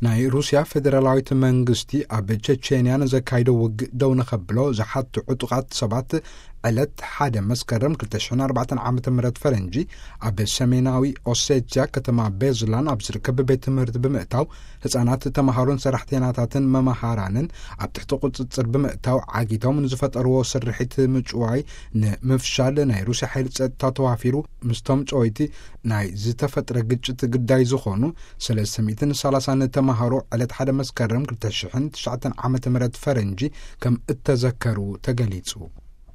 ናይ ሩስያ ፌደራላዊት መንግስቲ ኣብ ቸቼንያ ንዘካይዶ ውግእ ደው ንኸብሎ ዝሓቱ ዕጡቓት ሰባት ዕለት ሓደ መስከረም ክልተ ሽሕን ኣርባዕተን ዓመተ ምህረት ፈረንጂ ኣብ ሰሜናዊ ኦሴትያ ከተማ ቤዝላን ኣብ ዝርከብ ቤት ትምህርቲ ብምእታው ህጻናት ተምሃሮን ሰራሕተኛታትን መምሃራንን ኣብ ትሕቲ ቁጽጽር ብምእታው ዓጊቶም ንዝፈጠርዎ ስርሒት ምጭዋይ ንምፍሻል ናይ ሩስያ ሓይሊ ጸጥታ ተዋፊሩ ምስቶም ጨወይቲ ናይ ዝተፈጥረ ግጭት ግዳይ ዝኾኑ ሰለስተ ሚእትን ሰላሳን ተምሃሮ ዕለት ሓደ መስከረም ክልተ ሽሕን ትሽዓተን ዓመተ ምህረት ፈረንጂ ከም እተዘከሩ ተገሊጹ።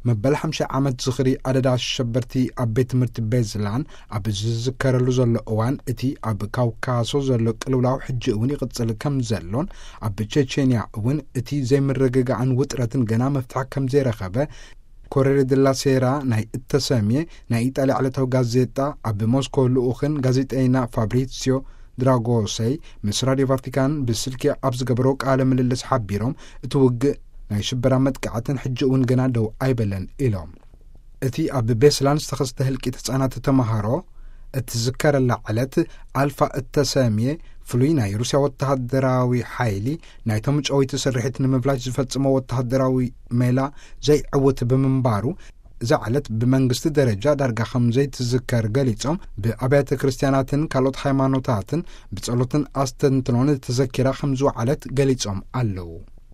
መበል ሓምሳ ዓመት ዝኽሪ ኣደዳ ኣሸበርቲ ኣብ ቤት ትምህርቲ ቤዝላን ኣብ ዝዝከረሉ ዘሎ እዋን እቲ ኣብ ካውካሶ ዘሎ ቅልውላው ሕጂ እውን ይቕጽል ከም ዘሎን ኣብ ቸቼንያ እውን እቲ ዘይምርግጋእን ውጥረትን ገና መፍትሒ ከም ዘይረኸበ ኮሬሬ ደላ ሴራ ናይ እተሰምየ ናይ ኢጣልያ ዕለታዊ ጋዜጣ ኣብ ሞስኮ ልኡኽን ጋዜጠይና ፋብሪሲዮ ድራጎሰይ ምስ ራድዮ ቫቲካን ብስልኪ ኣብ ዝገበሮ ቃለ ምልልስ ሓቢሮም፣ እቲ ውግእ ናይ ሽበራ መጥቃዕትን ሕጂ እውን ገና ደው ኣይበለን ኢሎም። እቲ ኣብ ቤስላን ዝተኸስተ ህልቂት ህጻናት ተመሃሮ እትዝከረላ ዕለት ኣልፋ እተሰምየ ፍሉይ ናይ ሩስያ ወተሃደራዊ ሓይሊ ናይቶም ጨወይቲ ስርሒት ንምብላሽ ዝፈጽሞ ወተሃደራዊ ሜላ ዘይዕውት ብምንባሩ፣ እዛ ዕለት ብመንግስቲ ደረጃ ዳርጋ ከም ዘይትዝከር ገሊጾም፣ ብኣብያተ ክርስቲያናትን ካልኦት ሃይማኖታትን ብጸሎትን ኣስተንትኖን ተዘኪራ ከም ዝወዓለት ገሊጾም ኣለዉ።